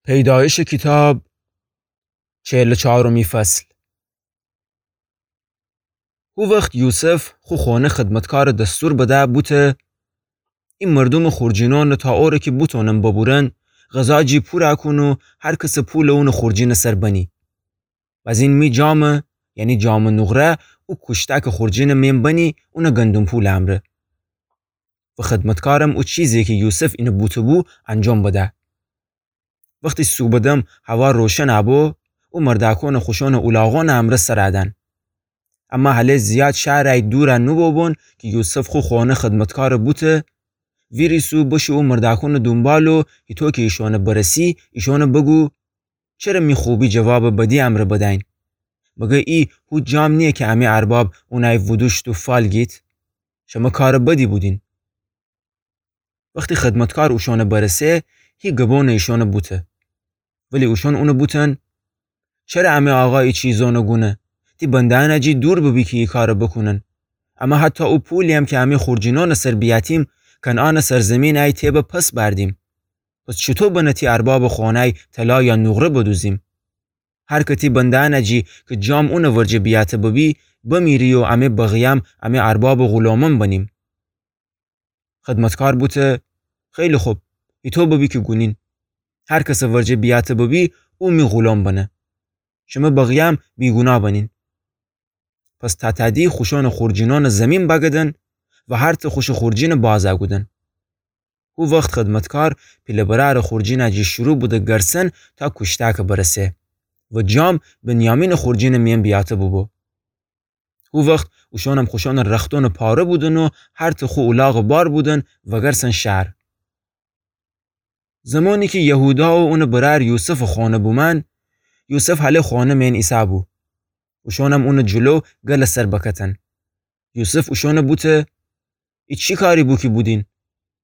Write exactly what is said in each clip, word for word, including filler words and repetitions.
پیدایشٚ کیتاب، چهل و چهارمی فصل. هو وخت یوسف خو خؤنه خدمتکارٚ دستور بده بوته: ای مردومٚ خورجینأنٚ تا اوره کی بوتونم ببورن، غذا جی پورَ کون و هر کسٚ پولَ اونٚ خورجینٚ سر بنی. بزین می جامَ، یعنی جامٚ نقره، او کوشتکٚ خورجینٚ مین بنی، اونٚ گندم پولٚ امرأ. و خدمتکارم او چیزی کی یوسف اینَ بوته بو انجام بده. وختی صوبٚ دم هوا روشنَ بو، او مردأکونَ خوشأنٚ اولاغونٚ امرأ سرَ دأن. اما هله زیاد شهرَ دورَ نوبوبون کی یوسف خو خؤنه خدمتکارَ بوته: ویریسو بشو او مردأکونٚ دونبال و هیطو کی ایشأنَ برسی، ایشأنَ بگو: چره می خوبی جوابَ بدی امرأ بدین؟ مگر ای هو جام نییه کی امی ارباب اونَ ودوشت و فال گیت؟ شمه کارٚ بدی بودین. وختی خدمتکار اوشأنَ برسه، هی گبونٚ ایشأنَ بوته. ولی اوشأن اونَ بوتن: چره امی آقا ای چیزأنَ گونه؟ تی بنده‌یأنَ جی دور ببی کی ای کارَ بکونن. اما حتی او پولی‌یم کی امی خورجینأنٚ سر بیأتیم، کنعانٚ سرزمینَ تی به پس بردیم. پس چوطو بنه تی اربابٚ خؤنه‌ی طلا یا نقره بدوزیم؟ هر که تی بنده‌یأنَ جی کی جام اونٚ ورجه بیأته ببی، بمیری و امی بقیه‌یم امی اربابٚ غلامأن بنیم. خدمتکار بوته: خیلی خب، هیطو ببی کی گونین. هر کسٚ ورجه بیأته ببی، او می غلام بنه. شمه بقیه‌یم بیگوناه بنین. پس تأتأدی خوشأنٚ خورجینأنٚ زمین بگدن و هر ته خوشٚ خورجینَ بازَ کودن. هو وخت خدمتکار پیله برأرٚ خورجینَ جی شروع بوده گرسن تا کوشتکَ برسه و جام بنیامینٚ خورجینٚ مین بیأته بوبو. هو وخت اوشأنم خوشأنٚ رختأنَ پاره بودن و هر ته خو اولاغَ بار بودن وگرسن شهر. زمانی کی یهودا و اونٚ برأر یوسفٚ خؤنه بومأن، یوسف هله خؤنه مین ایسه‌بو. اوشأنم اونٚ جلو گلٚ سر بکتن. یوسف اوشأنَ بوته: ای چی کاری بو کی بودین؟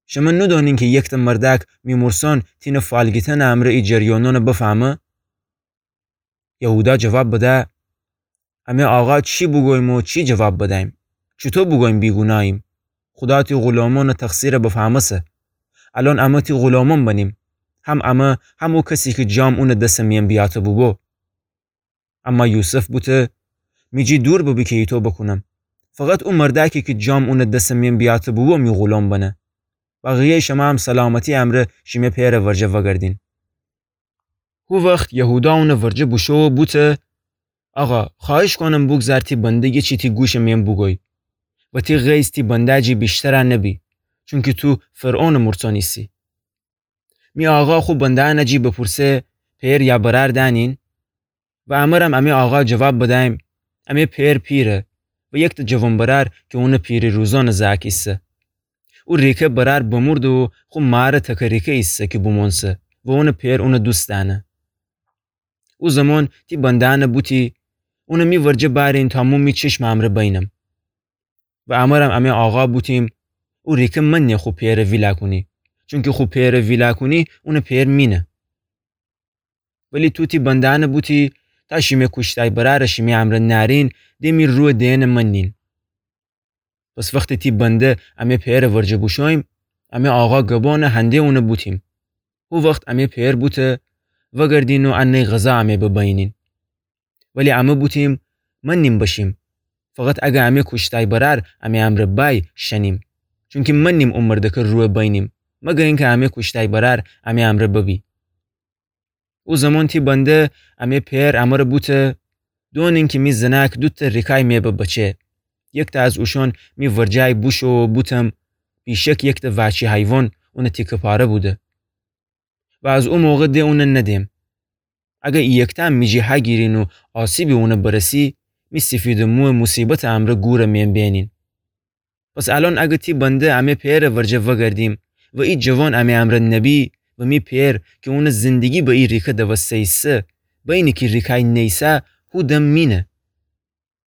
شمه نودأنین کی یکته مردأک می مورسأن تینه فال گیتنٚ امرأ ای جریانأنَ بفهمه؟ یهودا جواب بده: امی آقا چی بوگوییم و چی جواب بدیم؟ چوطو بوگوییم بیگوناهیم؟ خودا تی غلامأنٚ تقصیرَ بفهمسه. الأن امه تی غلامأن بنیم، هم امه، هم او کسی کی جام اونٚ دسٚ مین بیأته بوبو. اما یوسف بوته: می جی دور ببی کی ایطو بکونم. فقط او مردأکی کی جام اونٚ دسٚ مین بیأته بوبو می غلام بنه. بقیه‌یٚ شمه‌یم سلامتی امرأ شیمه پئرٚ ورجه وگردین. هو وخت یهودا اونٚ ورجه بوشو و بوته: آقا، خوأهش کونم بوگذار تی بنده یه چی تی گوشٚ مین بوگوی و تی غیظ تی بنده جی ویشترَ نبی، چونکی تو فرعونٚ مورسأن ایسی. می آقا خو بنده‌یأنَ جی بپورسه: پئر یا برأر دأنین؟ و امرم امی آقا جواب بدیم: امی پئر پیره و یکته جوان‌برأر کی اونٚ پیری روزأنٚ زأک ایسه. او ریکه برأر بمورده و خو مارٚ تکه ریکه ایسه کی بومؤنسه و اونٚ پئر اونَ دوست دأنه. او زمان تی بنده‌یأنَ بوتی: اونَ می ورجه بأرین تا مو می چشمٚ امرأ بینم. و امرم امی آقا بوتیم: او ریکه مننه خو پئرَ ویلا کونی، چونکی خو پئرَ ویلا کونی، اونٚ پئر مینه. ولی تو تی بنده‌یأنَ بوتی: تا شیمه کوشتأی برأرَ شیمه امرأ نأرین، د می رویَ دئنٚ مننین. پس وختی تی بنده امی پئرٚ ورجه بوشوییم، امی آقا گبانَ هنده اونَ بوتیم. هو وخت امی پئر بوته: وگردین و انه غذا امی ببینین. ولی امه بوتیم: مننیم بشیم، فقط اگر امی کوشتأی برأر امی امرأ بأی شنیم، چونکی مننیم او مردکٚ رویَ بینیم، مگر اینکه امی کوشتأی برأر امی امرأ ببی. او زمان تی بنده امی پئر امرَ بوته: دونین کی می زنأک دوتأ ریکأی می ببچه. یکتأ از اوشأن می ورجه‌یی بوشو و بوتم: بیشک یکتأ وأچی حیوان اونٚ تیکه پاره بوده. و از او موقع د اونَ ندئم. اگر ای یکتأم می جی هگیرین و آسیبی اونَ برسی، می سیفیدٚ مویَ موصیبتٚ امرأ گورَ می بینین. پس الأن اگر تی بنده امی پئرٚ ورجه وگردیم و ای جوان امی امرأ نبی و می پئر کی اونٚ زندگی به ای ریکه دوسته ایسه، بینه کی ریکأی نیسه، هو دم مینه.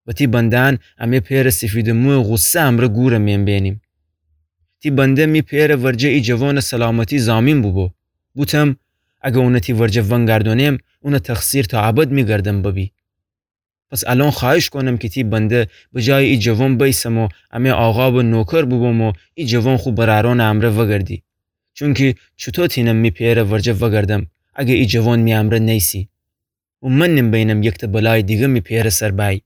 و تی بنده‌یأن امی پئرٚ سیفیدٚ مویَ غوصه امرأ گورَ می بینیم. تی بنده می پئرٚ ورجه ای جوانٚ سلامتی ضامین بوبو. بوتم: اگر اونَ تی ورجه ونگردونم، اونٚ تقصیر تا ابد می گردن ببی. پس الأن خوأهش کونم کی تی بنده به جایٚ ای جوان بیسم و امی آقا به نوکر بوبم و ای جوان خو برأرأنٚ امرأ وگردی. چونکی چوطو تینم می پئرٚ ورجه وگردم، اگه ای جوان می امرأ نیسی. و من نیم بینم یکته بلای دیگه می پئره سر بأیی.